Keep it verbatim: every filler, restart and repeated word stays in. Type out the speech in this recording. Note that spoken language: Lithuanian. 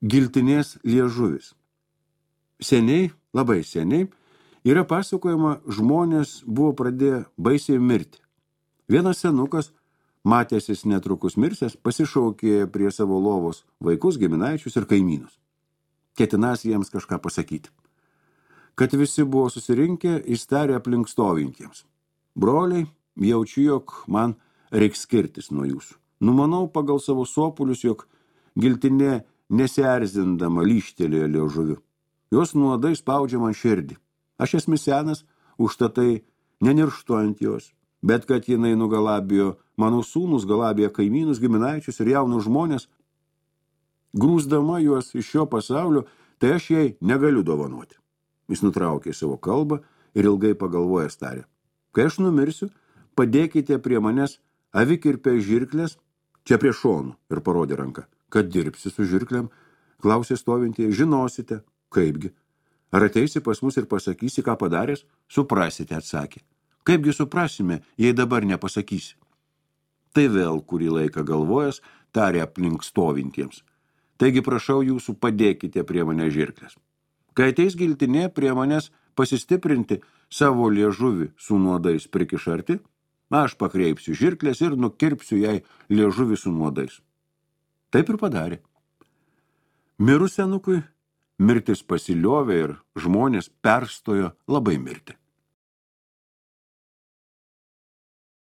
Giltinės liežuvis. Seniai, labai seniai, yra pasakojama, žmonės buvo pradėję baisiai mirti. Vienas senukas, matęsis netrukus mirsęs, pasišaukė prie savo lovos vaikus, giminaičius ir kaimynus. Ketinas jiems kažką pasakyti. Kad visi buvo susirinkę, jis tarė aplink stovintiems. Broliai, jaučiu, jog man reiks skirtis nuo jūsų. Numanau pagal savo sopulius, jog giltinė nesierzindama lyštelėjo liežuviu. Jos nuodai spaudžia man širdį. Aš esmu senas, užtatai nenirštu ant jos, bet kad jinai nugalabijo mano sūnus, galabėjo kaimynus, giminaičius ir jaunus žmonės, grūsdama juos iš šio pasaulio, tai aš jai negaliu dovanoti. Jis nutraukė savo kalbą ir ilgai pagalvojęs tarė. Kai aš numirsiu, padėkite prie manęs avikirpę žirklės, čia prie šonų, ir parodė ranką. Kad dirbsi su žirklėm, klausė stovintieji, žinosite, kaipgi. Ar ateisi pas mus ir pasakysi, ką padaręs? Suprasite, atsakė. Kaipgi suprasime, jei dabar nepasakysi? Tai vėl kurį laiką galvojęs, tarė aplink stovintiems. Taigi prašau jūsų, padėkite prie mane žirklės. Kai ateis giltinė prie manęs pasistiprinti savo liežuvį su nuodais prikišarti, aš pakreipsiu žirklės ir nukirpsiu jai liežuvį su nuodais. Taip ir padarė. Mirus senukui, mirtis pasiliovė ir žmonės perstojo labai mirti.